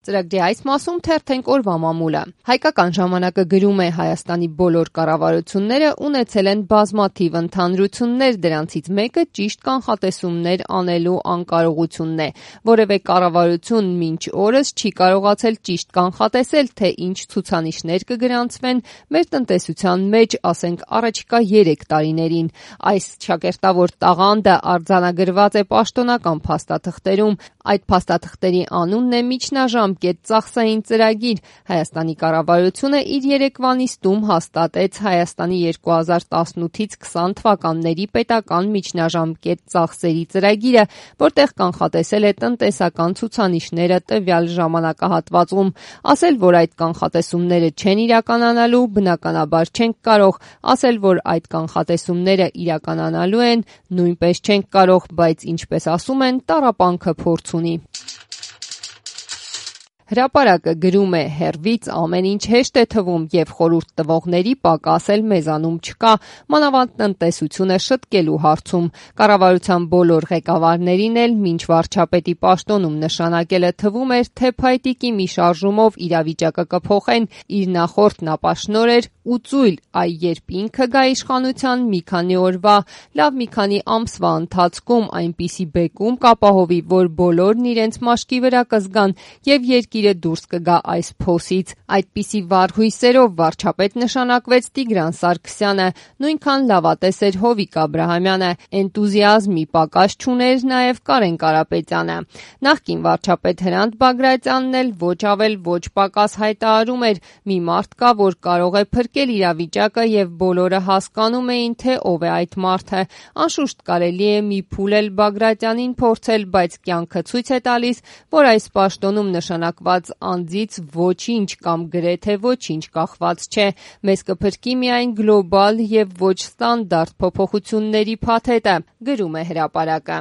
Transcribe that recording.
Ծրագրի այս մասում թերթենք օրվա մամուլը։ Հայկական ժամանակը գրում է Հայաստանի բոլոր կառավարությունները ունեցել են բազմաթիվ ընդհանրություններ, դրանցից մեկը ճիշտ կանխատեսումներ անելու անկարողությունն է։ Որևէ կառավարություն մինչ օրս չի կարողացել ճիշտ կանխատեսել, թե ինչ ցուցանիշներ կգրանցվեն մեր տնտեսության մեջ, ասենք առաջիկա 3 տարիներին։ Այս ճակերտավոր տաղանդը արձանագրված է պաշտոնական փաստաթղթերում։ Այդ փաստաթղթերի անունն է միջնաժամկետ ծախսային ծրագիր։ Հայաստանի կառավարությունը իր երեկվա նիստում հաստատեց Հայաստանի 2018-ից 20 թվականների պետական միջնաժամկետ ծախսերի ծրագիրը, որտեղ կանխատեսել է տնտեսական ցուցանիշները տվյալ ժամանակահատվածում։ Ասել, որ այդ կանխատեսումները չեն իրականանալու, բնականաբար չենք կարող, ասել, որ այդ կանխատեսումները իրականանալու են, նույնպես չենք կարող, բայց ինչպես ասում են, տառապանքը փորձ ունի։ Հրապարակը գրում է. հեռվից ամեն ինչ հեշտ է թվում և խորհուրդ տվողների պակաս էլ մեզանում չկա, մանավանդ տնտեսությունը շտկելու հարցում։ Կառավարության բոլոր ղեկավարներին էլ մինչ վարչապետի պաշտոնում նշանակելը թվում էր, թե փայտիկի մի շարժումով իրավիճակը կփոխեն, իր նախորդն ապաշնոր էր ու ծույլ, այ երբ ինքը գա իշխանության մի քանի օրվա, լավ մի քանի ամսվա ընթացքում այնպիսի բեկում կապահովի, որ բոլորն իրենց մաշկի վրա կզգան և երկիրը դուրս կգա այս փոսից։ Այդպիսի վառ հույսերով վարչապետ նշանակվեց Տիգրան Սարգսյանը, նույնքան լավատես էր Հովիկ Աբրահամյանը, էնտուզիազմի պակաս չուներ նաև Կարեն Կարապետյանը։ Նախկին վարչապետ Հրանտ Բագրատյանն էլ ոչ ավել ոչ պակաս հայտարարում էր՝ մի մարդ կա, որ կարող է փրկել իրավիճակը և բոլորը հասկանում էին, թե ով է այդ մարդը։ Անշուշտ կարելի է մի փուլ էլ Բագրատյանին փորձել, բայց կյանքը ցույց է տալիս, որ այս պաշտոնում նշանակված անձից ոչինչ կամ գրեթե ոչինչ կախված չէ։ Մեզ կփրկի միայն գլոբալ և ոչ ստանդարտ փոփոխությունների փաթեթը, գրում է հրապարակը։